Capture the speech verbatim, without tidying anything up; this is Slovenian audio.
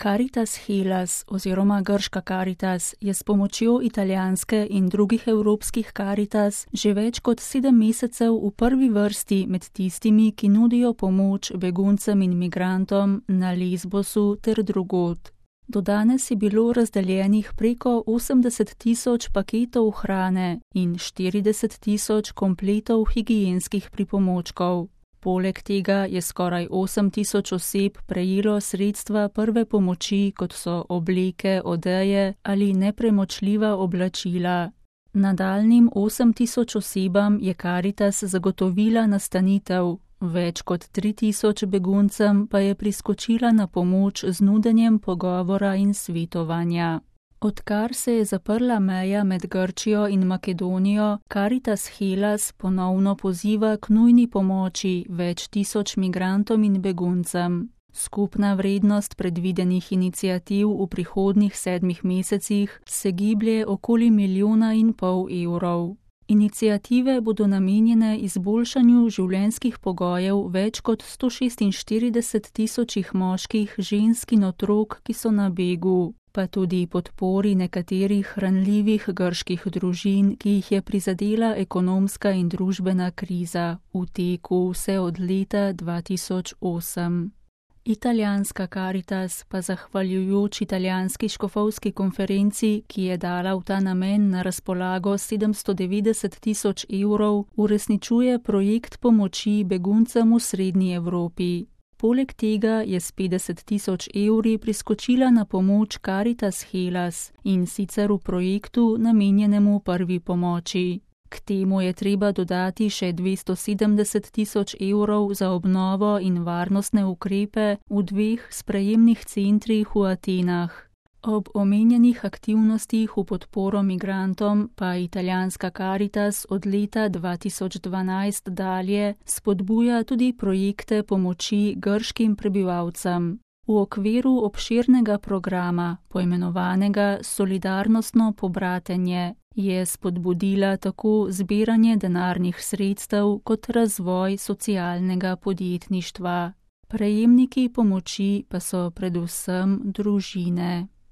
Caritas Hellas oziroma grška Caritas je s pomočjo italijanske in drugih evropskih Caritas že več kot sedem mesecev v prvi vrsti med tistimi, ki nudijo pomoč beguncem in migrantom na Lesbosu ter drugod. Do danes je bilo razdeljenih preko osemdeset tisoč paketov hrane in štirideset tisoč kompletov higienskih pripomočkov. Poleg tega je skoraj osem tisoč oseb prejelo sredstva prve pomoči, kot so obleke, odeje ali nepremočljiva oblačila. Nadaljnjim osem tisoč osebam je Caritas zagotovila nastanitev, več kot tri tisoč beguncem pa je priskočila na pomoč z nudenjem pogovora in svetovanja. Odkar se je zaprla meja med Grčijo in Makedonijo, Caritas Hellas ponovno poziva k nujni pomoči več tisoč migrantom in beguncem. Skupna vrednost predvidenih iniciativ v prihodnjih sedmih mesecih se giblje okoli milijona in pol evrov. Iniciative bodo namenjene izboljšanju življenjskih pogojev več kot sto šestinštirideset tisočih moških, žensk in otrok, ki so na begu, pa tudi podpori nekaterih ranljivih grških družin, ki jih je prizadela ekonomska in družbena kriza v teku vse od leta dva tisoč osem. Italijanska Caritas pa zahvaljujoč italijanski škofovski konferenci, ki je dala v ta namen na razpolago sedemsto devetdeset tisoč evrov, uresničuje projekt pomoči beguncem v srednji Evropi. Poleg tega je s petdeset tisoč evri priskočila na pomoč Caritas Hellas in sicer v projektu namenjenemu prvi pomoči. K temu je treba dodati še dvesto sedemdeset tisoč evrov za obnovo in varnostne ukrepe v dveh sprejemnih centrih v Atenah. Ob omenjenih aktivnostih v podporo migrantom pa italijanska Caritas od leta dva tisoč dvanajst dalje spodbuja tudi projekte pomoči grškim prebivalcem. V okviru obširnega programa, poimenovanega Solidarnostno pobratenje, je spodbudila tako zbiranje denarnih sredstev kot razvoj socialnega podjetništva. Prejemniki pomoči pa so predvsem družine.